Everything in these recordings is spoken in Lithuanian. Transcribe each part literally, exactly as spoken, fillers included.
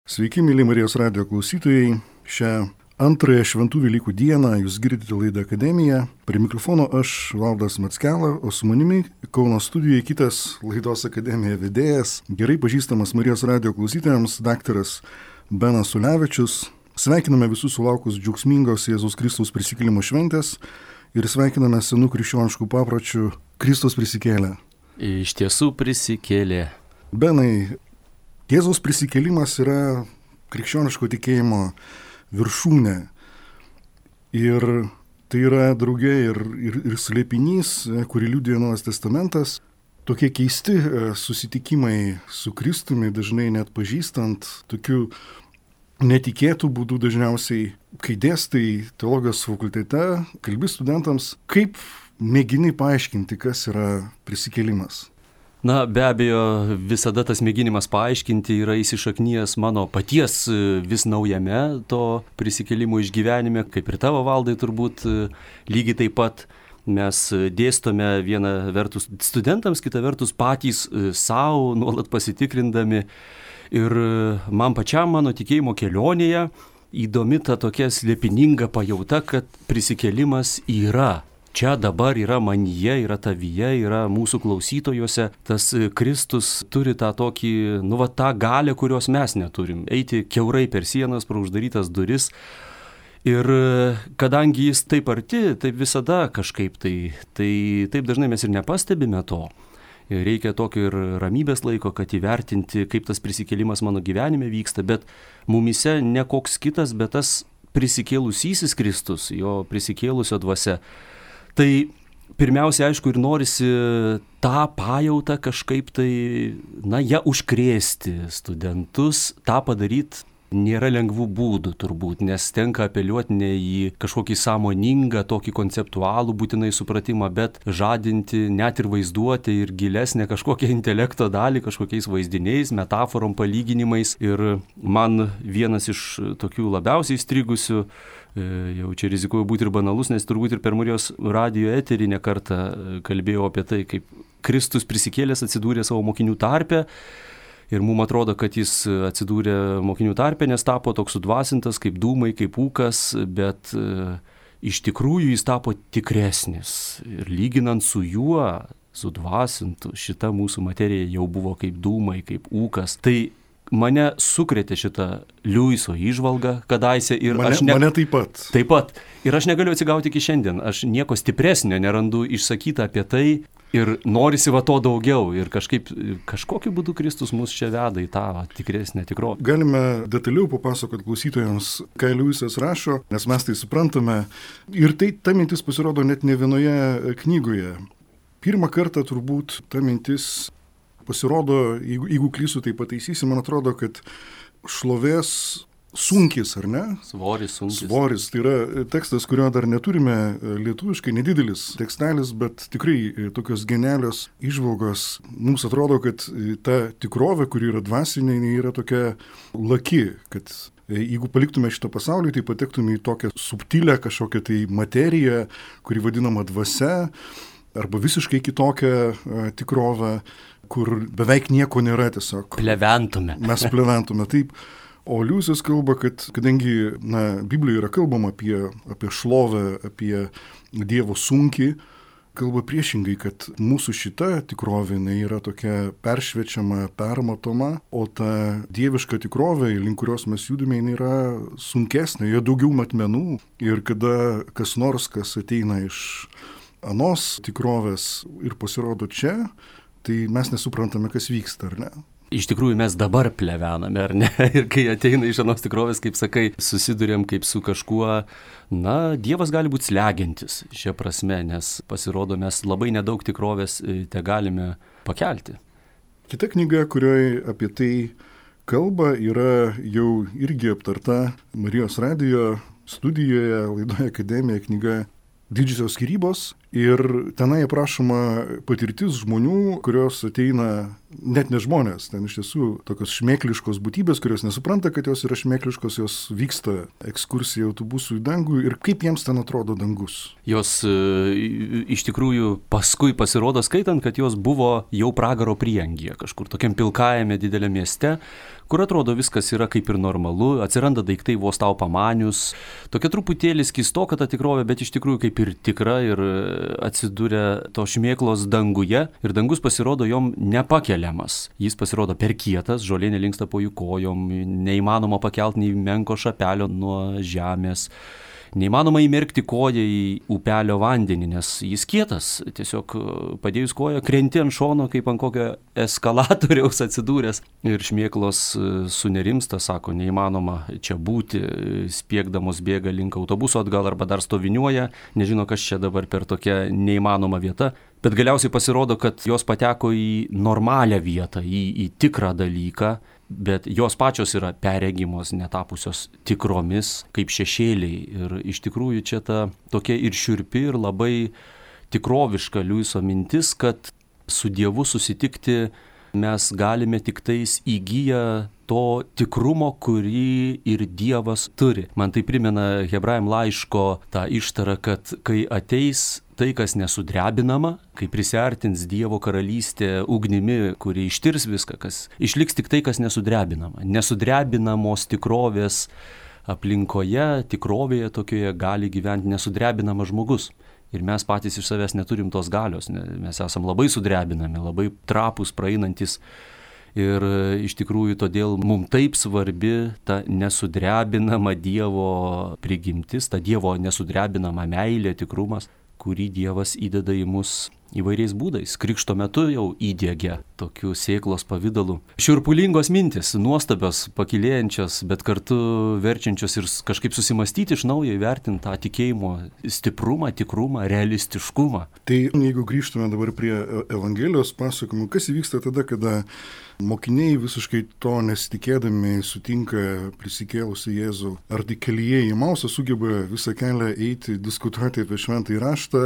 Sveiki, mėly Marijos radijo klausytojai. Šią antrąją Šventų Velykų dieną jūs girdite laidą Akademija. Prie mikrofono aš, Valdas Mackela, o su manimi Kauno studijoje kitas laidos Akademija vedėjas, gerai pažįstamas Marijos radijo klausytojams, daktaras Benas Ulevičius. Sveikiname visus sulaukus džiaugsmingos Jėzaus Kristaus prisikėlimo šventės ir sveikiname senų krikščioniškų papročių Kristus prisikėlė. Iš tiesų prisikėlė. Benai, Jėzaus prisikėlimas yra krikščioniško tikėjimo viršūnė. Ir tai yra drauge ir, ir, ir slėpinys, kurį liudija Naujas testamentas. Tokie keisti susitikimai su Kristumi, dažnai net pažįstant, tokių netikėtų būdų dažniausiai, kai dėstai teologijos fakultete, kalbi studentams, kaip mėgini paaiškinti, kas yra prisikėlimas. Na, be abejo, visada tas mėginimas paaiškinti yra įsišaknijęs mano paties vis naujame to prisikėlimo išgyvenime, kaip ir tavo, Valdai, turbūt lygiai taip pat. Mes dėstome vieną vertus studentams, kitą vertus patys savo, nuolat pasitikrindami. Ir man pačiam mano tikėjimo kelionėje įdomi ta tokia slėpininga pajauta, kad prisikėlimas yra. Čia dabar yra manyje, yra tavyje, yra mūsų klausytojuose. Tas Kristus turi tą tokį, nu va, tą galią, kurios mes neturim. Eiti kiaurai per sienas, pro uždarytas duris. Ir kadangi jis taip arti, taip visada kažkaip tai, tai taip dažnai mes ir nepastebime to. Reikia tokio ir ramybės laiko, kad įvertinti, kaip tas prisikėlimas mano gyvenime vyksta, bet mumise ne koks kitas, bet tas prisikėlusysis Kristus, jo prisikėlusio dvasia. Tai pirmiausia, aišku, ir norisi tą pajautą kažkaip tai, na, ją užkrėsti studentus, tą padaryti nėra lengvų būdų turbūt, nes tenka apeliuoti ne į kažkokį sąmoningą, tokį konceptualų būtinai supratimą, bet žadinti net ir vaizduoti ir gilesnę kažkokią intelekto dalį, kažkokiais vaizdiniais, metaforom, palyginimais. Ir man vienas iš tokių labiausiai įstrigusių, jau čia rizikuoju būti ir banalus, nes turbūt ir per Marijos radijo eterį ne kartą kalbėjau apie tai, kaip Kristus prisikėlęs atsidūrė savo mokinių tarpe. Ir mums atrodo, kad jis atsidūrė mokinių tarpe, nes tapo toks sudvasintas, kaip dūmai, kaip ūkas, bet e, iš tikrųjų jis tapo tikresnis. Ir lyginant su juo, sudvasintu, šita mūsų materija jau buvo kaip dūmai, kaip ūkas. Tai mane sukrėtė šitą Liuiso įžvalgą kadaise ir mane, aš ne... Mane taip pat. Taip pat. Ir aš negaliu atsigauti iki šiandien. Aš nieko stipresnio nerandu išsakyta apie tai. Ir norisi va to daugiau ir kažkaip, kažkokiu būdu Kristus mus čia veda į tą tikresnę tikrovę. Galime detaliau papasakoti klausytojams, ką Liujisas rašo, nes mes tai suprantame. Ir tai ta mintis pasirodo net ne vienoje knygoje. Pirmą kartą turbūt ta mintis pasirodo, jeigu, jeigu klysiu, tai pataisysi, man atrodo, kad šlovės sunkis, ar ne? Svoris, sunkis. Svoris, tai yra tekstas, kurio dar neturime lietuviškai, nedidelis tekstelis, bet tikrai tokios genialios įžvalgos. Mums atrodo, kad ta tikrovė, kuri yra dvasinė, yra tokia laki, kad jeigu paliktume šitą pasaulį, tai patektume į tokią subtilę kažkokią tai materiją, kuri vadinama dvasia, arba visiškai kitokią tikrovę, kur beveik nieko nėra tiesiog. Pleventume. Mes pleventume, taip. O Liujisas kalba, kad kadangi na, Biblijoje yra kalbama apie, apie šlovę, apie Dievo sunkį, kalba priešingai, kad mūsų šita tikrovė yra tokia peršviečiama, permatoma, o ta dieviška tikrovė, link kurios mes judame, yra sunkesnė, joje daugiau matmenų. Ir kada kas nors, kas ateina iš anos tikrovės ir pasirodo čia, tai mes nesuprantame, kas vyksta, ar ne? Iš tikrųjų mes dabar plevename, ar ne? Ir kai ateina iš anos tikrovės, kaip sakai, susidurėm kaip su kažkuo, na, Dievas gali būti slegiantis šia prasme, nes pasirodo mes labai nedaug tikrovės te galime pakelti. Kita knyga, kurioje apie tai kalba, yra jau irgi aptarta Marijos radijo studijoje, laidoje Akademija, knyga Didžiosios skyrybos. Ir tenai aprašoma patirtis žmonių, kurios ateina, net ne žmonės, ten iš tiesų tokios šmėkliškos būtybės, kurios nesupranta, kad jos yra šmėkliškos, jos vyksta ekskursija autobusų į dangų ir kaip jiems ten atrodo dangus. Jos e, iš tikrųjų paskui pasirodo skaitant, kad jos buvo jau pragaro prieangyje, kažkur tokiam pilkajame dideliame mieste, kur atrodo viskas yra kaip ir normalu, atsiranda daiktai vos tau pamanius, tokia truputėlį skystoka ta tikrovė, bet iš tikrųjų kaip ir tikra ir atsidūrė to šmėklos danguje ir dangus pasirodo jom nepakeliamas. Jis pasirodo per kietas, žolė nelinksta po jų kojom, neįmanoma pakelti nei menko šapelio nuo žemės. Neįmanoma įmerkti koją į upelio vandenį, nes jis kietas. Tiesiog padėjus koją krenti ant šono, kaip ant kokio eskalatoriaus atsidūręs. Ir šmėklos sunerimsta, sako, neįmanoma čia būti, spiegdamos bėga link autobuso atgal arba dar stoviniuoja, nežino, kas čia dabar per tokią neįmanomą vietą. Bet galiausiai pasirodo, kad jos pateko į normalią vietą, į, į tikrą dalyką, bet jos pačios yra perregimos, netapusios tikromis, kaip šešėliai. Ir iš tikrųjų čia ta tokia ir šiurpi, ir labai tikroviška Liuiso mintis, kad su Dievu susitikti mes galime tik tais įgyję to tikrumo, kurį ir Dievas turi. Man tai primena Hebrajam laiško tą ištarą, kad kai ateis tai, kas nesudrebinama, kai prisiartins Dievo karalystė ugnimi, kuri ištirs viską, kas išliks tik tai, kas nesudrebinama. Nesudrebinamos tikrovės aplinkoje, tikrovėje tokioje gali gyventi nesudrebinamas žmogus. Ir mes patys iš savęs neturim tos galios, mes esam labai sudrebinami, labai trapus, praeinantis. Ir iš tikrųjų todėl mums taip svarbi ta nesudrebinama Dievo prigimtis, ta Dievo nesudrebinama meilė, tikrumas, kurį Dievas įdeda į mus įvairiais būdais. Krikšto metu jau įdiegia tokių sėklos pavidalų. Šiurpulingos mintis, nuostabios, pakilėjančios, bet kartu verčiančios ir kažkaip susimastyti iš naujo, įvertinti tą tikėjimo stiprumą, tikrumą, realistiškumą. Tai jeigu grįžtume dabar prie Evangelijos pasakojimų, kas įvyksta tada, kada mokiniai visiškai to nesitikėdami sutinka prisikėlusi Jėzų, ar tik kelyje į Mausą sugeba visą kelią eiti, diskutuoti apie šventąjį raštą,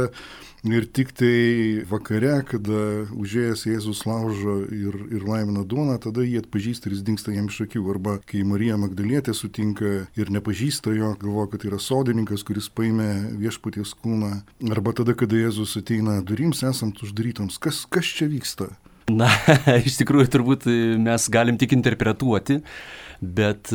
ir tik tai vakare, kada užėjęs Jėzus laužo ir, ir laimina duoną, tada jį atpažįsta ir jis dingsta jam iš akių. Arba kai Marija Magdalietė sutinka ir nepažįsta jo, galvoja, kad tai yra sodininkas, kuris paėmė viešpaties kūną. Arba tada, kada Jėzus ateina durims, esant uždarytoms. Kas, kas čia vyksta? Na, iš tikrųjų turbūt mes galim tik interpretuoti, bet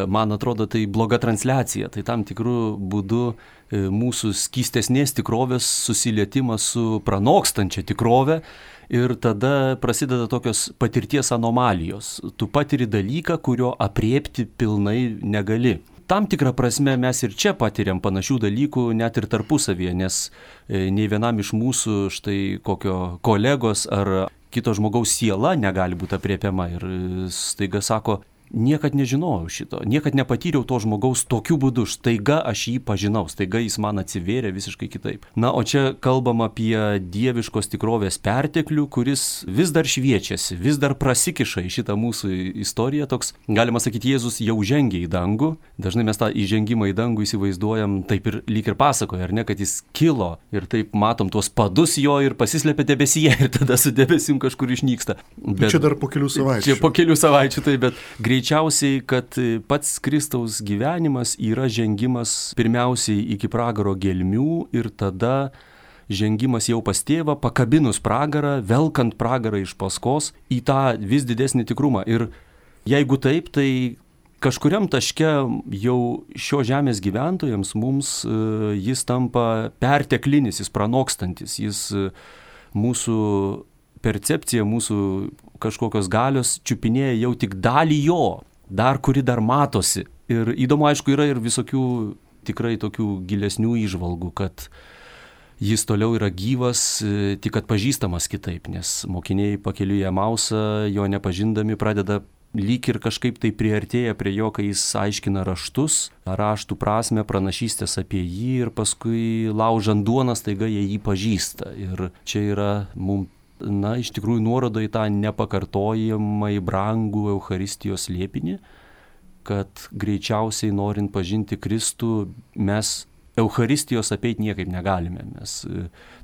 man atrodo tai bloga transliacija. Tai tam tikrų būdų mūsų skystesnės tikrovės susilietimas su pranokstančia tikrove ir tada prasideda tokios patirties anomalijos. Tu patiri dalyką, kurio apriepti pilnai negali. Tam tikrą prasme mes ir čia patiriam panašių dalykų net ir tarpusavyje, nes nei vienam iš mūsų štai kokio kolegos ar kito žmogaus siela negali būti apriepiama ir staiga sako, niekad nežinojau šito, niekad nepatyriau to žmogaus tokiu būdu, staiga aš jį pažinau, staiga jis man atsivėrė visiškai kitaip. Na, o čia kalbam apie dieviškos tikrovės perteklių, kuris vis dar šviečiasi, vis dar prasikiša į šitą mūsų istoriją. Toks, galima sakyti, Jėzus jau žengia į dangų. Dažnai mes tą įžengimą į dangų įsivaizduojam taip ir lyg ir pasakoja, ar ne, kad jis kilo ir taip matom tuos padus jo ir pasislėpia debesyje ir tada su debesim kažkur išnyksta. Bet, čia dar po kelių savaičių. Čia po kelių savaičių, tai bet greičiausiai, kad pats Kristaus gyvenimas yra žengimas pirmiausiai iki pragaro gelmių ir tada žengimas jau pas tėvą, pakabinus pragarą, velkant pragarą iš paskos į tą vis didesnį tikrumą. Ir jeigu taip, tai kažkuriam taške jau šio žemės gyventojams mums jis tampa perteklinis, jis pranokstantis, jis mūsų percepcija, mūsų kažkokios galios čiupinėja jau tik dalį jo, dar kuri dar matosi. Ir įdomu, aišku, yra ir visokių tikrai tokių gilesnių įžvalgų, kad jis toliau yra gyvas, tik atpažįstamas kitaip, nes mokiniai pakeliui į Emausą, jo nepažindami, pradeda lyg ir kažkaip tai priartėja prie jo, kai jis aiškina raštus, raštų prasme, pranašystės apie jį ir paskui laužant duoną staiga jie jį pažįsta. Ir čia yra mums, na, iš tikrųjų nuoroda į tą nepakartojamai brangų Eucharistijos slėpinį, kad greičiausiai norint pažinti Kristų, mes Eucharistijos apeiti niekaip negalime. Mes,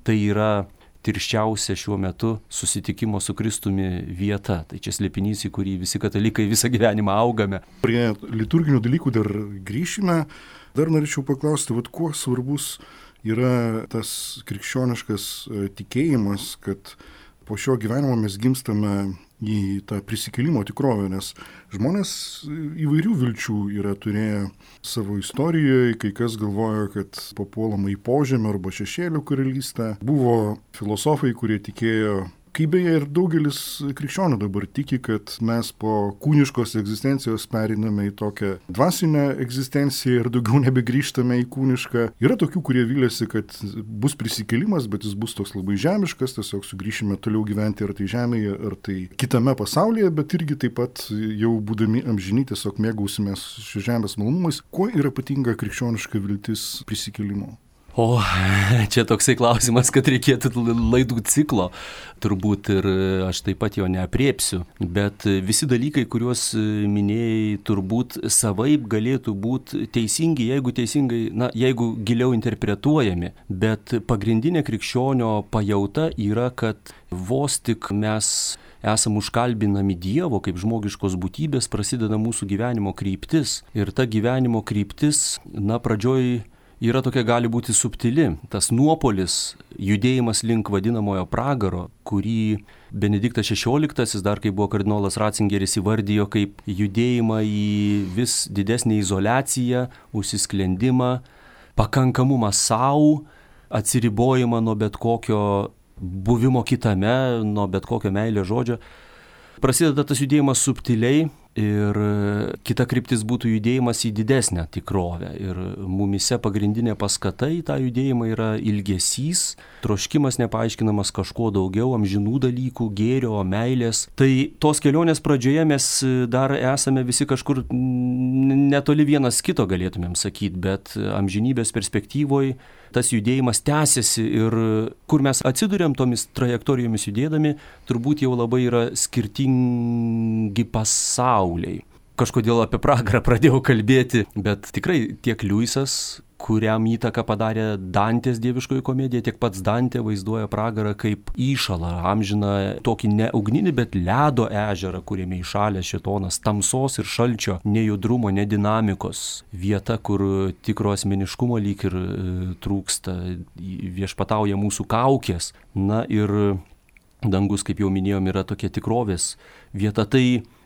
tai yra tirščiausia šiuo metu susitikimo su Kristumi vieta. Tai čia slėpinys, į kurį visi katalikai visą gyvenimą augame. Prie liturginių dalykų dar grįšime. Dar norėčiau paklausti, vat, kuo svarbus yra tas krikščioniškas tikėjimas, kad po šio gyvenimo mes gimstame į tą prisikėlimo tikrovę, nes žmonės įvairių vilčių yra turėję savo istorijoje, kai kas galvoja, kad papuolama į požemio arba šešėlių karalystę. Buvo filosofai, kurie tikėjo, kaip beje ir daugelis krikščionių dabar tiki, kad mes po kūniškos egzistencijos periname į tokią dvasinę egzistenciją ir daugiau nebegrįžtame į kūnišką. Yra tokių, kurie vylėsi, kad bus prisikėlimas, bet jis bus toks labai žemiškas, tiesiog sugrįšime toliau gyventi ar tai žemėje, ar tai kitame pasaulyje, bet irgi taip pat jau būdami amžini tiesiog mėgausimės šios žemės malonumais. Kuo yra ypatinga krikščioniška viltis prisikėlimo? O, čia toksai klausimas, kad reikėtų laidų ciklo, turbūt ir aš taip pat jo neapriepsiu, bet visi dalykai, kuriuos minėjai, turbūt savaip galėtų būti teisingi, jeigu teisingai, na, jeigu giliau interpretuojami, bet pagrindinė krikščionio pajauta yra, kad vos tik mes esam užkalbinami Dievo kaip žmogiškos būtybės, prasideda mūsų gyvenimo kryptis ir ta gyvenimo kryptis, na, pradžioj yra tokia, gali būti subtili, tas nuopolis, judėjimas link vadinamojo pragaro, kurį Benediktas šešioliktasis, dar kai buvo kardinolas Ratzingeris, įvardijo kaip judėjimą į vis didesnį izoliaciją, užsisklendimą, pakankamumą savo, atsiribojimą nuo bet kokio buvimo kitame, nuo bet kokio meilės žodžio. Prasideda tas judėjimas subtiliai ir kita kryptis būtų judėjimas į didesnę tikrovę. Ir mumise pagrindinė paskata į tą judėjimą yra ilgesys, troškimas nepaaiškinamas kažko daugiau, amžinų dalykų, gėrio, meilės. Tai tos kelionės pradžioje mes dar esame visi kažkur netoli vienas kito, galėtumėm sakyti, bet amžinybės perspektyvoje tas judėjimas tęsiasi ir kur mes atsiduriam tomis trajektorijomis judėdami, turbūt jau labai yra skirtingi pasauliai. Kažkodėl apie pragarą pradėjau kalbėti, bet tikrai tiek Liujisas, kuriam įtaką padarė Dantės dieviškoji komedija, tiek pats Dantė vaizduoja pragarą kaip įšalą, amžiną tokį ne ugninį, bet ledo ežerą, kuriame įšalė šėtonas, tamsos ir šalčio, nejudrumo, nedinamikos, vieta, kur tikro asmeniškumo lyg ir e, trūksta, viešpatauja mūsų kaukės. Na ir dangus, kaip jau minėjom, yra tokia tikrovės vieta. Tai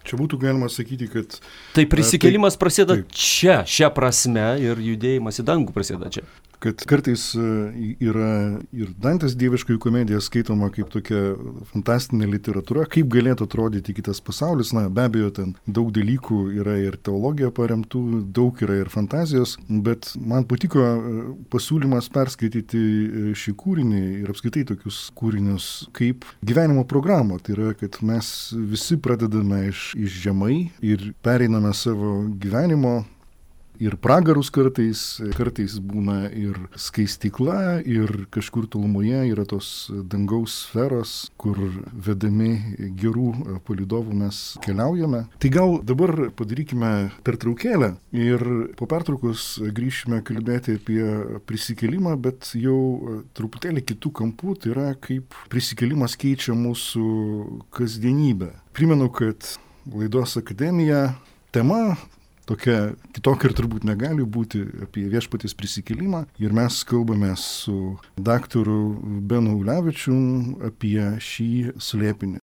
čia būtų galima sakyti, kad tai prisikėlimas taip, prasideda taip. čia, šią prasme, ir judėjimas į dangų prasideda čia. Kad kartais yra ir Dantės dieviškoji komedija skaitoma kaip tokia fantastinė literatūra, kaip galėtų atrodyti kitas pasaulis. Na, be abejo, ten daug dalykų yra ir teologija paremtų, daug yra ir fantazijos, bet man patiko pasiūlymas perskaityti šį kūrinį ir apskaitai tokius kūrinius kaip gyvenimo programą. Tai yra, kad mes visi pradedame iš, iš žemai ir pereiname savo gyvenimo ir pragarus kartais, kartais būna ir skaistykla, ir kažkur tolumoje yra tos dangaus sferos, kur vedami gerų palydovų mes keliaujame. Tai gal dabar padarykime pertraukėlę ir po pertraukos grįšime kalbėti apie prisikėlimą, bet jau truputėlį kitų kampų, tai yra kaip prisikėlimas keičia mūsų kasdienybę. Primenu, kad laidos Akademija tema tokia kitokia ir turbūt negali būti apie viešpaties prisikėlimą. Ir mes kalbame su daktaru Benu Ulevičium apie šį slėpinį.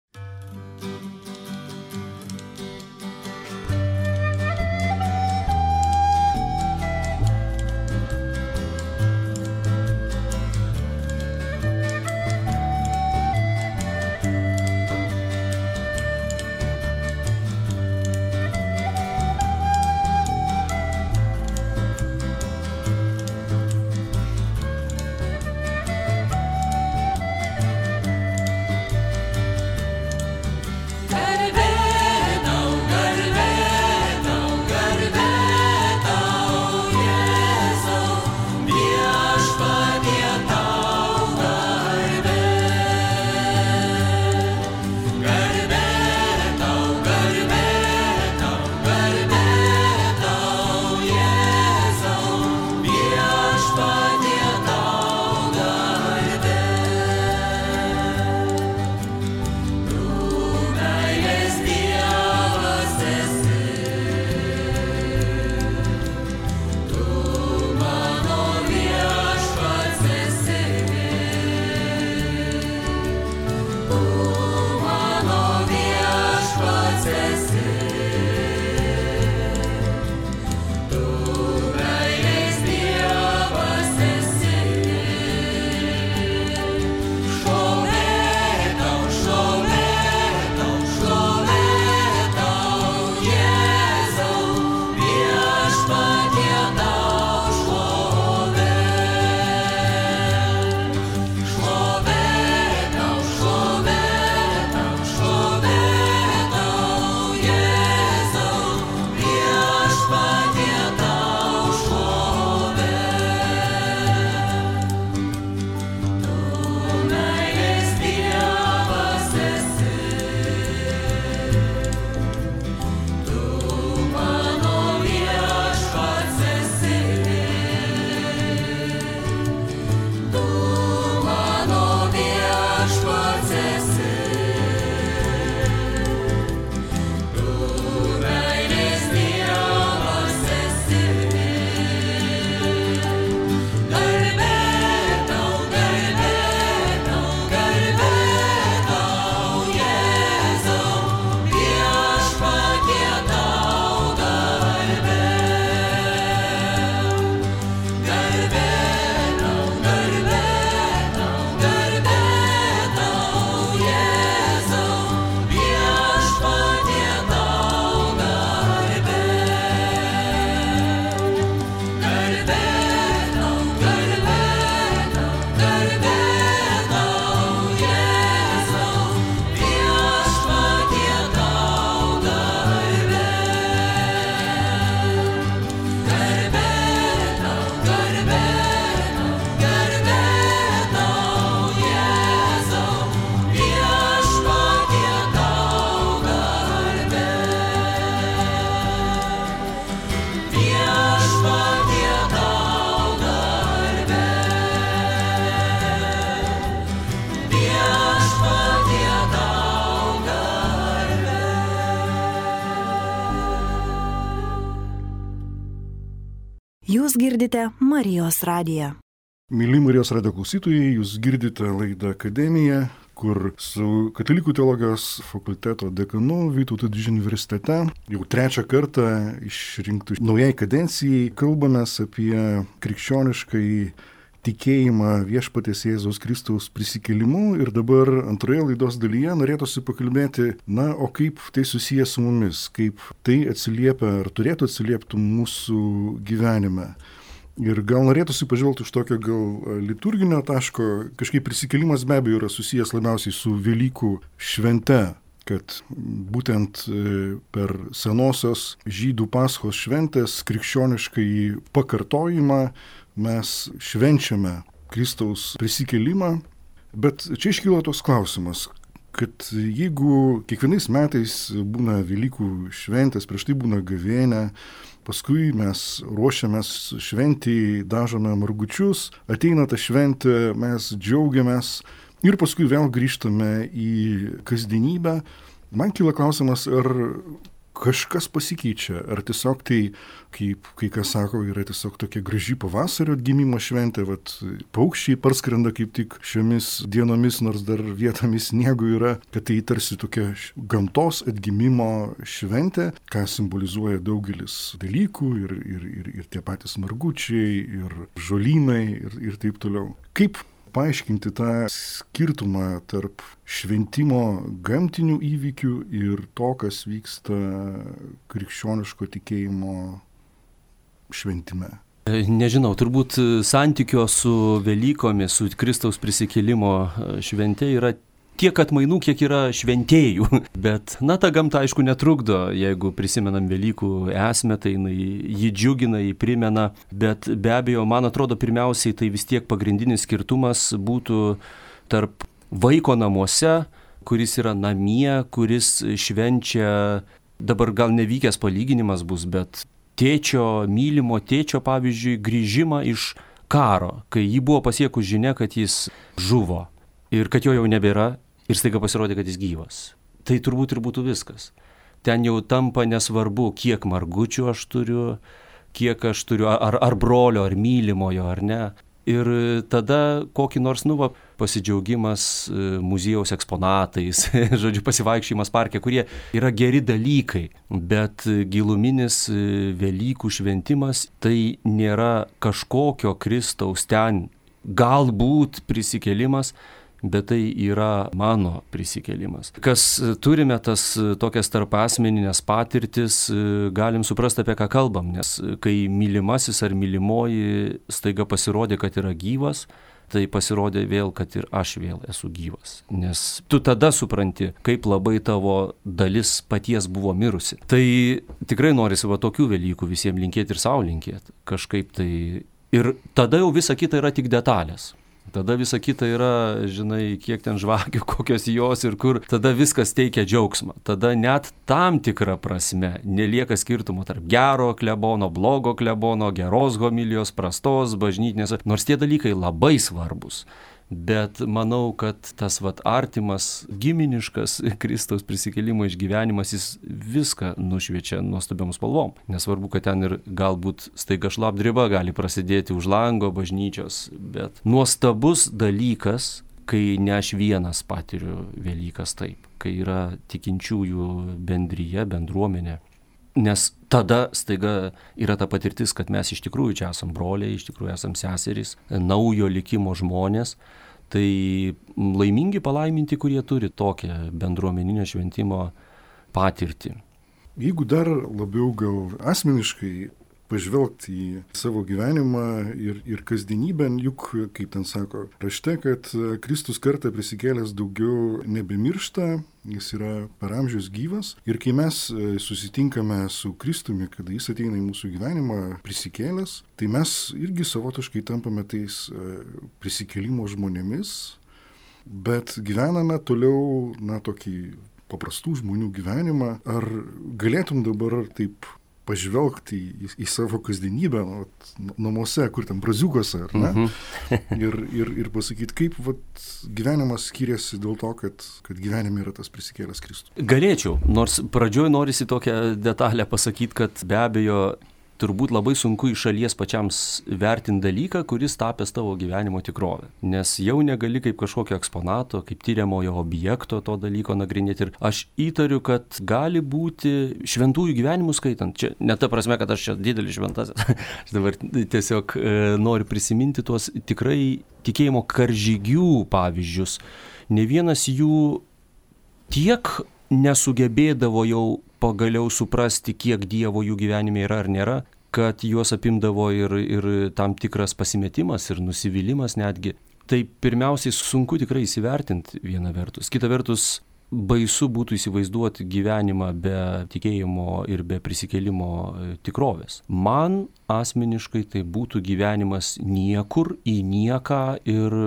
Jūs girdite Marijos radiją. Mėly Marijos radijo klausytojai, jūs girdite laidą Akademija, kur su Katalikų teologijos fakulteto dekanu Vytauto Didžiojo universitete jau trečią kartą išrinktų naujai kadencijai kalbamės apie krikščioniškai tikėjimą Viešpaties Jėzaus Kristaus prisikėlimu ir dabar antroje laidos dalyje norėtųsi pakalbėti, na, o kaip tai susijęs su mumis, kaip tai atsiliepia ar turėtų atsiliepti mūsų gyvenime. Ir gal norėtųsi pažvelgti iš tokio gal liturginio taško, kažkaip prisikėlimas be abejo yra susijęs labiausiai su Velykų švente, kad būtent per senosios žydų Paschos šventės krikščioniškai pakartojimą mes švenčiame Kristaus prisikėlimą, bet čia iškyla toks klausimas, kad jeigu kiekvienais metais būna Velykų šventės, prieš tai būna gavėnia, paskui mes ruošiamės šventį, dažome margučius, ateina ta šventė, mes džiaugiamės ir paskui vėl grįžtame į kasdienybę, man kyla klausimas, ar kažkas pasikeičia, ar tiesiog tai, kaip kai kas sako, yra tiesiog tokia graži pavasario atgimimo šventė, vat paukščiai parskrenda kaip tik šiomis dienomis, nors dar vietomis sniego yra, kad tai tarsi tokia gamtos atgimimo šventė, ką simbolizuoja daugelis dalykų ir, ir, ir, ir tie patys margučiai, ir žolynai ir, ir taip toliau. Kaip paaiškinti tą skirtumą tarp šventimo gamtinių įvykių ir to, kas vyksta krikščioniško tikėjimo šventime? Nežinau, turbūt santykio su Velykomis, su Kristaus prisikėlimo švente yra tiek atmainų, kiek yra šventėjų. Bet, na, ta gamta, aišku, netrukdo, jeigu prisimenam Velykų esmę, tai jį džiugina, jį primena, bet be abejo, man atrodo, pirmiausiai tai vis tiek pagrindinis skirtumas būtų tarp vaiko namuose, kuris yra namie, kuris švenčia, dabar gal nevykęs palyginimas bus, bet tėčio, mylimo tėčio, pavyzdžiui, grįžimą iš karo, kai jį buvo pasiekus žinia, kad jis žuvo ir kad jo jau nebėra. Ir staiga pasirodė, kad jis gyvas. Tai turbūt ir būtų viskas. Ten jau tampa nesvarbu, kiek margučių aš turiu, kiek aš turiu, ar, ar brolio, ar mylimojo, ar ne. Ir tada kokį nors, nu, va, pasidžiaugimas muziejaus eksponatais, žodžiu, pasivaikščiojimas parke, kurie yra geri dalykai, bet giluminis Velykų šventimas tai nėra kažkokio Kristaus ten galbūt prisikėlimas, bet tai yra mano prisikėlimas. Kas turime tas tokias tarpasmeninės patirtis, galim suprasti, apie ką kalbam, nes kai mylimasis ar mylimoji staiga pasirodė, kad yra gyvas, tai pasirodė vėl, kad ir aš vėl esu gyvas. Nes tu tada supranti, kaip labai tavo dalis paties buvo mirusi. Tai tikrai norisi va tokių Velykų visiems linkėti ir savo linkėti. Kažkaip tai. Ir tada jau visa kita yra tik detalės. Tada visa kita yra, žinai, kiek ten žvakių, kokios jos ir kur, tada viskas teikia džiaugsmą. Tada net tam tikrą prasme nelieka skirtumo tarp gero klebono, blogo klebono, geros homilijos, prastos, bažnytinės, nors tie dalykai labai svarbus. Bet manau, kad tas vat artimas, giminiškas Kristaus prisikėlimo išgyvenimas, jis viską nušviečia nuostabiom spalvom. Nesvarbu, kad ten ir galbūt staiga šlapdriba gali prasidėti už lango bažnyčios, bet nuostabus dalykas, kai ne aš vienas patiriu Velykas taip, kai yra tikinčiųjų bendryje, bendruomenė. Nes tada staiga yra ta patirtis, kad mes iš tikrųjų čia esam broliai, iš tikrųjų esam seserys, naujo likimo žmonės. Tai laimingi, palaiminti, kurie turi tokią bendruomeninio šventimo patirtį. Jeigu dar labiau gal asmeniškai pažvelgti į savo gyvenimą ir, ir kasdienybę, juk, kaip ten sako rašte, kad Kristus kartą prisikėlęs daugiau nebemiršta, jis yra per amžius gyvas. Ir kai mes susitinkame su Kristumi, kada jis ateina į mūsų gyvenimą prisikėlęs, tai mes irgi savotiškai tampame tais prisikėlimo žmonėmis, bet gyvename toliau, na, tokį paprastų žmonių gyvenimą. Ar galėtum dabar taip pažvelgti į, į savo kasdienybę, nu, namuose, kur ten braziukose, ar ne? Mm-hmm. ir, ir, ir pasakyti, kaip vat, gyvenimas skiriasi dėl to, kad, kad gyvenime yra tas prisikėlęs Kristus. Galėčiau, nors pradžioj norisi tokią detalę pasakyti, kad be abejo turbūt labai sunku iš šalies pačiam vertinti dalyką, kuris tapęs tavo gyvenimo tikrovę. Nes jau negali kaip kažkokio eksponato, kaip tyriamojo objekto to dalyko nagrinėti. Ir aš įtariu, kad gali būti šventųjų gyvenimų skaitant. Čia ne ta prasme, kad aš čia didelis šventasis. Aš dabar tiesiog e, noriu prisiminti tuos tikrai tikėjimo karžygių pavyzdžius. Ne vienas jų tiek nesugebėdavo jau pagaliau suprasti, kiek Dievo jų gyvenime yra ar nėra, kad juos apimdavo ir, ir tam tikras pasimetimas ir nusivylimas netgi. Tai pirmiausiai sunku tikrai įsivertinti viena vertus. Kita vertus, baisu būtų įsivaizduoti gyvenimą be tikėjimo ir be prisikėlimo tikrovės. Man asmeniškai tai būtų gyvenimas niekur į nieką ir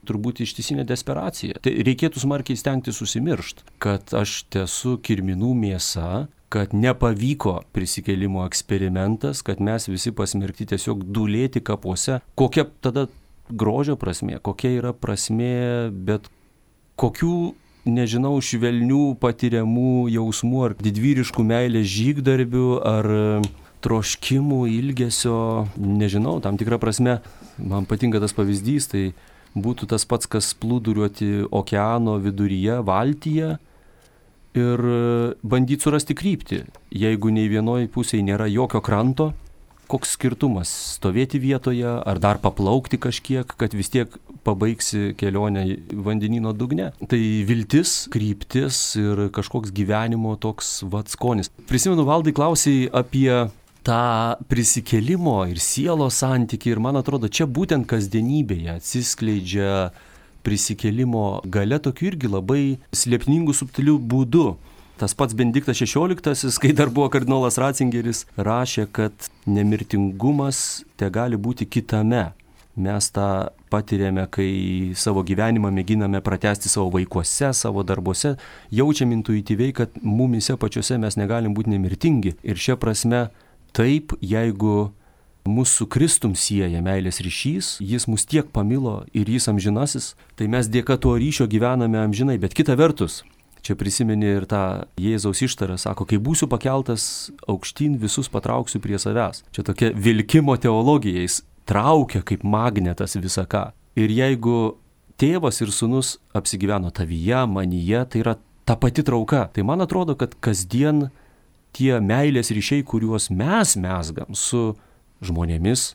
turbūt ištisinė desperacija. Tai reikėtų smarkiai stengtis susimiršti, kad aš esu kirminų mėsa, kad nepavyko prisikėlimo eksperimentas, kad mes visi pasmerkti tiesiog dūlėti kapuose. Kokia tada grožio prasmė, kokia yra prasmė, bet kokių, nežinau, švelnių patiriamų jausmų ar didvyriškų meilės žygdarbių ar troškimų, ilgesio, nežinau, tam tikrą prasme. Man patinka tas pavyzdys, tai būtų tas pats, kas plūduriuoti okeano viduryje, valtyje ir bandyti surasti kryptį. Jeigu nei vienoj pusėje nėra jokio kranto, koks skirtumas stovėti vietoje ar dar paplaukti kažkiek, kad vis tiek pabaigsi kelionę vandenyno dugne. Tai viltis, kryptis ir kažkoks gyvenimo toks vat skonis. Prisimenu, Valdai, klausei apie tą prisikėlimo ir sielos santykį ir man atrodo, čia būtent kasdienybėje atsiskleidžia prisikėlimo galia tokiu irgi labai slėpningų, subtilių būdų. Tas pats Benediktas šešioliktasis, kai dar buvo kardinolas Ratzingeris, rašė, kad nemirtingumas te gali būti kitame. Mes tą patiriame, kai savo gyvenimą mėginame pratęsti savo vaikuose, savo darbuose, jaučiam intuityviai, kad mumise pačiuose mes negalim būti nemirtingi. Ir šia prasme, taip, jeigu mūsų Kristum sieja meilės ryšys, jis mus tiek pamilo ir jis amžinasis, tai mes dėka to ryšio gyvename amžinai. Bet kita vertus, čia prisimeni ir tą Jėzaus ištarą, sako, kai būsiu pakeltas aukštyn, visus patrauksiu prie savęs. Čia tokia vilkimo teologija, jis traukia kaip magnetas visą ką. Ir jeigu tėvas ir sūnus apsigyveno tavyje, manyje, tai yra ta pati trauka. Tai man atrodo, kad kasdien tie meilės ryšiai, kuriuos mes mesgam su žmonėmis,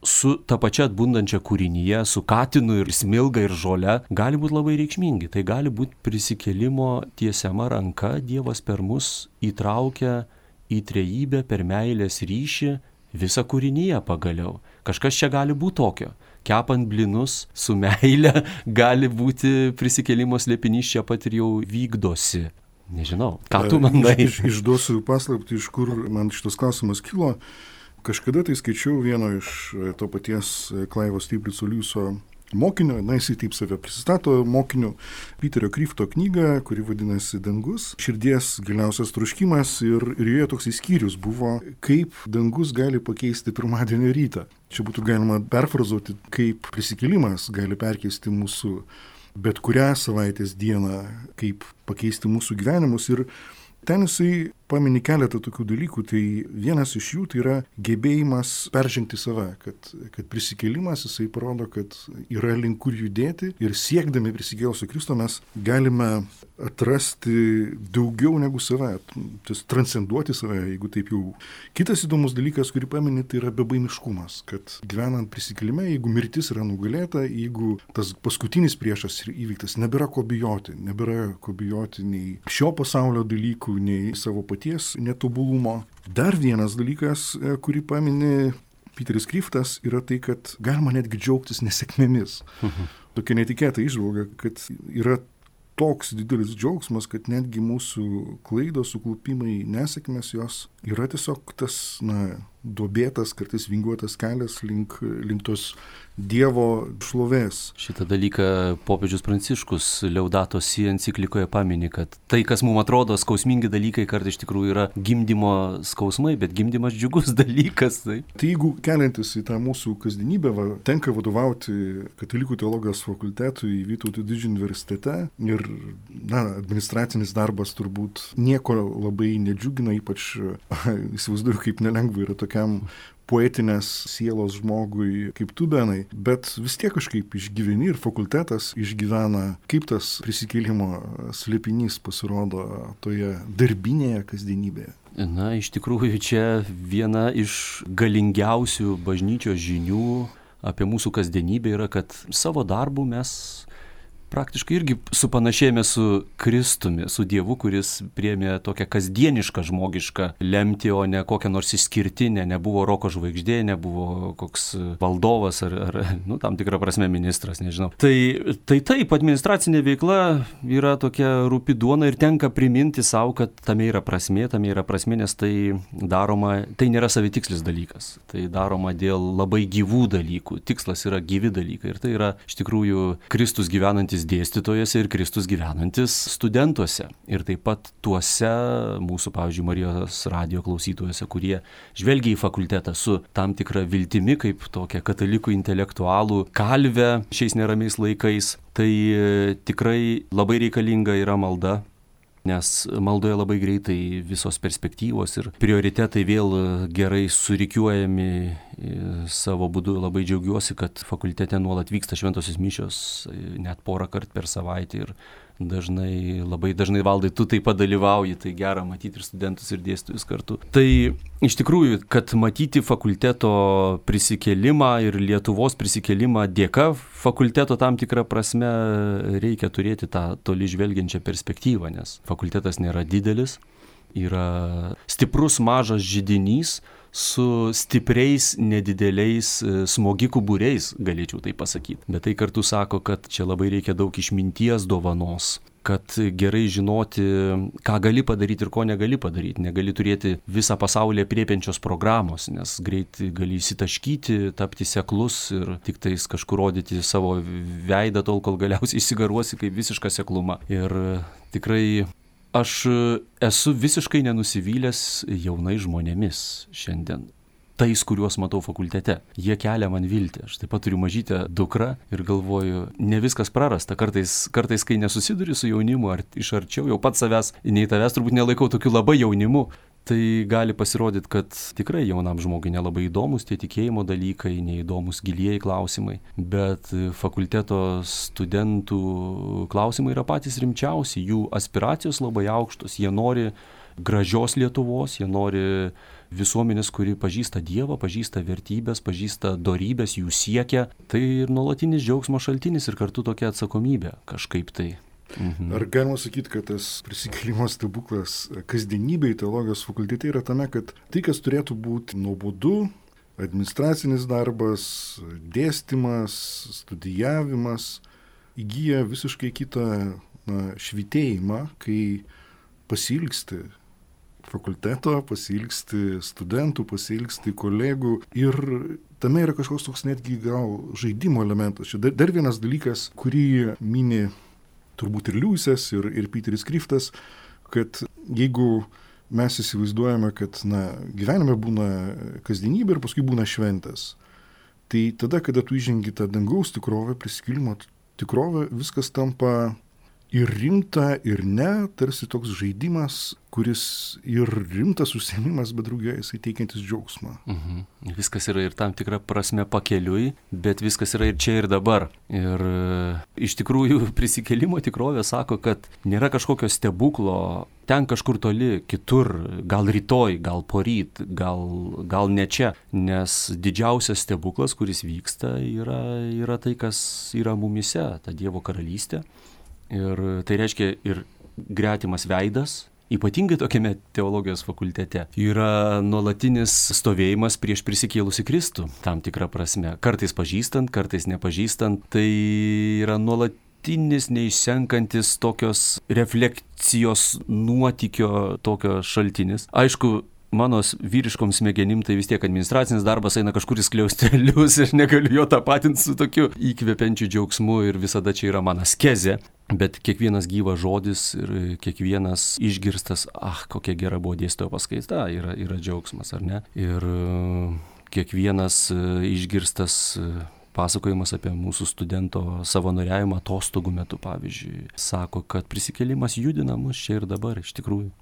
su ta pačia atbundančia kūrinyje, su katinu ir smilga ir žole, gali būti labai reikšmingi. Tai gali būti prisikėlimo tiesiama ranka, Dievas per mus įtraukia į trejybę per meilės ryšį visą kūrinyje pagaliau. Kažkas čia gali būti tokio. Kepant blinus su meile gali būti prisikėlimo slėpinys čia pat ir jau vykdosi. Nežinau, ką tu manai? Iš, iš, išduosiu paslaptį, iš kur man šitas klausimas kilo. Kažkada tai skaičiau vieno iš to paties Klaivo Stiglico Liuso mokinio, na jisai taip save prisistato mokiniu, Piterio Kryfto knygą, kuri vadinasi Dangus, širdies giliausias troškimas ir, ir joje toks skyrius buvo, kaip dangus gali pakeisti pirmadienio rytą. Čia būtų galima perfrazuoti, kaip prisikėlimas gali perkeisti mūsų bet kurią savaitės dieną, kaip pakeisti mūsų gyvenimus. Ir ten jisai pamini keletą tokių dalykų. Tai vienas iš jų tai yra gebėjimas peržengti save, kad, kad prisikėlimas jisai parodo, kad yra link kur judėti ir siekdami prisikėlusio Kristo mes galime atrasti daugiau negu save, tas transcenduoti save, jeigu taip jau. Kitas įdomus dalykas, kurį pamini, tai yra bebaimiškumas, kad gyvenant prisikėlime, jeigu mirtis yra nugalėta, jeigu tas paskutinis priešas įvyktas, nebėra ko bijoti, nebėra ko bijoti nei šio pasaulio dalykų, nei savo paties netobulumo. Dar vienas dalykas, kurį pamini Piteris Kryftas, yra tai, kad galima netgi džiaugtis nesėkmėmis. Mhm. Tokia netikėta įžvalga, kad yra toks didelis džiaugsmas, kad netgi mūsų klaidos, suklupimai, nesėkmės jos yra tiesiog tas, na, duobėtas, kartais vingiuotas kelias link, link tos Dievo šlovės. Šitą dalyką popiežius Pranciškus Laudato Si enciklikoje pamini, kad tai, kas mums atrodo skausmingi dalykai, kartais iš tikrųjų yra gimdymo skausmai, bet gimdymas džiugus dalykas. Tai, tai jeigu keliantis į tą mūsų kasdienybę, va, tenka vadovauti Katalikų teologijos fakultetui Vytauto Didžiojo universitete ir, na, administracinis darbas turbūt nieko labai nedžiugina, ypač įsivaizduoju, kaip nelengva yra tokiam tokiam poetinės sielos žmogui kaip tu, Benai, bet vis tiek kažkaip išgyveni ir fakultetas išgyvena, kaip tas prisikėlimo slėpinys pasirodo toje darbinėje kasdienybėje. Na, iš tikrųjų, čia viena iš galingiausių bažnyčios žinių apie mūsų kasdienybę yra, kad savo darbu mes praktiškai irgi supanašėjame su Kristumi, su Dievu, kuris priėmė tokią kasdienišką žmogišką lemtį, o ne kokią nors išskirtinę, nebuvo roko žvaigždė, nebuvo koks valdovas ar, ar nu, tam tikrą prasme ministras, nežinau. Tai, tai taip, administracinė veikla yra tokia rūpi duona ir tenka priminti savo, kad tame yra prasmė, tame yra prasmė, nes tai daroma, tai nėra savitikslis dalykas, tai daroma dėl labai gyvų dalykų, tikslas yra gyvi dalykai ir tai yra iš tikrųjų Kristus gyvenantis dėstytojose ir Kristus gyvenantis studentuose. Ir taip pat tuose mūsų, pavyzdžiui, Marijos radijo klausytojuose, kurie žvelgia į fakultetą su tam tikra viltimi, kaip tokia katalikų intelektualų kalvė šiais neramiais laikais. Tai tikrai labai reikalinga yra malda, nes maldoje labai greitai visos perspektyvos ir prioritetai vėl gerai surikiuojami savo būdu. Labai džiaugiuosi, kad fakultete nuolat vyksta šventosios mišios, net porą kartų per savaitę ir dažnai, labai dažnai Valdai, tu taip pat dalyvauji, tai gera matyti ir studentus ir dėstytojus kartu. Tai iš tikrųjų, kad matyti fakulteto prisikėlimą ir Lietuvos prisikėlimą dėka fakulteto tam tikrą prasme reikia turėti tą toli žvelgiančią perspektyvą, nes fakultetas nėra didelis, yra stiprus mažas židinys su stipriais, nedideliais smogikų būriais, galėčiau tai pasakyti. Bet tai kartu sako, kad čia labai reikia daug išminties dovanos, kad gerai žinoti, ką gali padaryti ir ko negali padaryti. Negali turėti visą pasaulį apriepiančios programos, nes greit gali įsitaškyti, tapti seklus ir tik tais kažkur rodyti savo veidą tol, kol galiausiai išsigaruosi kaip visiška sekluma. Ir tikrai aš esu visiškai nenusivylęs jaunais žmonėmis šiandien. Tais, kuriuos matau fakultete. Jie kelia man viltį. Aš taip pat turiu mažytę dukrą ir galvoju, ne viskas prarasta. Kartais, kartais kai nesusiduri su jaunimu ar iš arčiau, jau pats savęs, nei tavęs turbūt nelaikau tokiu labai jaunimu, tai gali pasirodyti, kad tikrai jaunam žmogui nelabai įdomus tie tikėjimo dalykai, neįdomus gilieji klausimai. Bet fakulteto studentų klausimai yra patys rimčiausi. Jų aspiracijos labai aukštos. Jie nori gražios Lietuvos, jie nori visuomenės, kuri pažįsta Dievą, pažįsta vertybės, pažįsta dorybės, jų siekia. Tai ir nuolatinis džiaugsmo šaltinis ir kartu tokia atsakomybė kažkaip tai. Mhm. Ar galima sakyti, kad tas prisikėlimo stebuklas kasdienybėj teologijos fakultete yra tame, kad tai, kas turėtų būti nuobodu, administracinis darbas, dėstymas, studijavimas, įgyja visiškai kitą na, švytėjimą, kai pasilgsti fakulteto, pasilgsti studentų, pasilgsti kolegų ir tame yra kažkoks toks netgi gal žaidimo elementas. Čia dar, dar vienas dalykas, kurį mini turbūt ir Liujisas, ir, ir Peteris Kriftas, kad jeigu mes įsivaizduojame, kad na, gyvenime būna kasdienybė ir paskui būna šventės, tai tada, kada tu įžengi tą dangaus tikrovę, prisikėlimo tikrovę, viskas tampa ir rimta, ir ne, tarsi toks žaidimas, kuris ir rimtas užsiėmimas, bet drauge jisai teikiantis džiaugsmą. Mhm. Viskas yra ir tam tikra prasme pakeliui, bet viskas yra ir čia ir dabar. Ir iš tikrųjų prisikėlimo tikrovė sako, kad nėra kažkokio stebuklo ten kažkur toli, kitur, gal rytoj, gal poryt, gal, gal ne čia, nes didžiausias stebuklas, kuris vyksta, yra, yra tai, kas yra mumise, ta Dievo karalystė. Ir tai reiškia ir gretimas veidas, ypatingai tokiame teologijos fakultete, yra nuolatinis stovėjimas prieš prisikėlusį Kristų, tam tikrą prasme. Kartais pažįstant, kartais nepažįstant, tai yra nuolatinis, neišsenkantis tokios refleksijos nuotykio tokio šaltinis. Aišku, mano vyriškom smegenim tai vis tiek administracinis darbas eina kažkur į skliaustelius ir negaliu jo tapatinti su tokiu įkvepiančiu džiaugsmu ir visada čia yra mano askezė. Bet kiekvienas gyvas žodis ir kiekvienas išgirstas, ah, kokia gera buvo dėstytojo paskaita, yra, yra džiaugsmas, ar ne? Ir kiekvienas išgirstas pasakojimas apie mūsų studento savanoriavimą atostogų metu, pavyzdžiui, sako, kad prisikėlimas judina mus čia ir dabar, iš tikrųjų.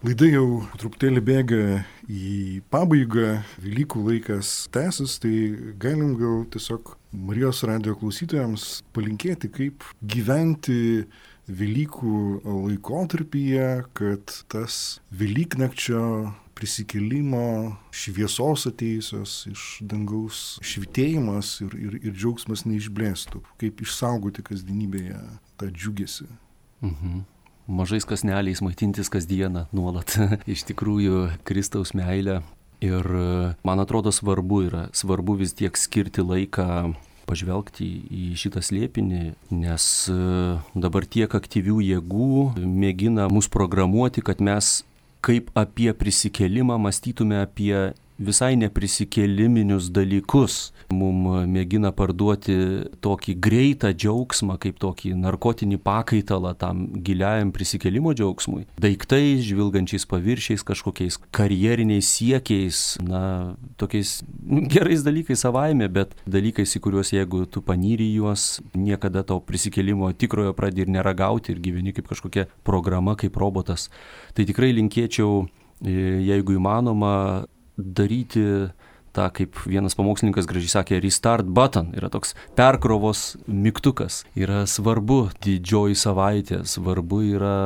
Laida jau truputėlį bėga į pabaigą, Velykų laikas tęsis, tai galim gal tiesiog Marijos radijo klausytojams palinkėti, kaip gyventi Velykų laikotarpyje, kad tas Velyknakčio prisikėlimo šviesos atėjusios iš dangaus švitėjimas ir, ir, ir džiaugsmas neišblėstų, kaip išsaugoti kasdienybėje tą džiugesį. Mhm. Mažais kasneliais maitintis kasdieną nuolat. Iš tikrųjų, Kristaus meilė. Ir man atrodo svarbu yra, svarbu vis tiek skirti laiką pažvelgti į šitą slėpinį, nes dabar tiek aktyvių jėgų mėgina mus programuoti, kad mes kaip apie prisikėlimą mąstytume apie visai neprisikėliminius dalykus. Mums mėgina parduoti tokį greitą džiaugsmą, kaip tokį narkotinį pakaitalą tam giliajam prisikėlimo džiaugsmui. Daiktais, žvilgančiais paviršiais, kažkokiais karjeriniais siekiais, na, tokiais gerais dalykais savaime, bet dalykais, į kuriuos jeigu tu panyri juos, niekada to prisikėlimo tikrojo pradedi ir neragauti ir gyveni kaip kažkokia programa, kaip robotas. Tai tikrai linkėčiau, jeigu įmanoma, daryti tą, kaip vienas pamokslininkas gražiai sakė, restart button, yra toks perkrovos mygtukas. Yra svarbu didžioji savaitė, svarbu yra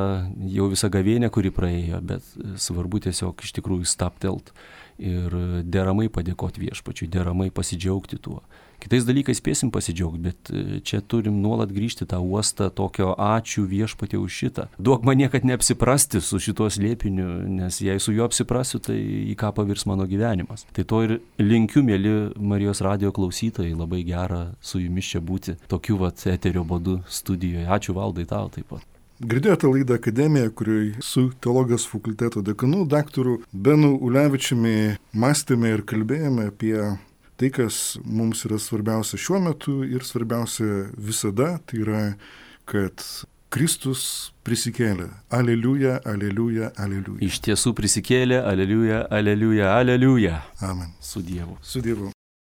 jau visa gavėnė, kuri praėjo, bet svarbu tiesiog iš tikrųjų stabtelt ir deramai padėkoti viešpačiui, deramai pasidžiaugti tuo. Kitais dalykais spėsim pasidžiaugti, bet čia turim nuolat grįžti tą uostą tokio ačiū viešpatie už šitą. Duok man niekad neapsiprasti su šituo slėpiniu, nes jei su juo apsiprasiu, tai į ką pavirs mano gyvenimas. Tai to ir linkiu, mėly Marijos radijo klausytojai, labai gera su jumis čia būti tokiu vat eterio būdu studijoje. Ačiū Valdai tau taip pat. Girdėjote laidą Akademija, kurioje su teologijos fakulteto dekanu, daktaru Benu Ulevičiumi mąstėme ir kalbėjome apie tai, kas mums yra svarbiausia šiuo metu ir svarbiausia visada, tai yra, kad Kristus prisikėlė. Aleliuja, aleliuja, aleliuja. Iš tiesų prisikėlė, aleliuja, aleliuja, aleliuja. Amen. Su Dievu. Su Dievu.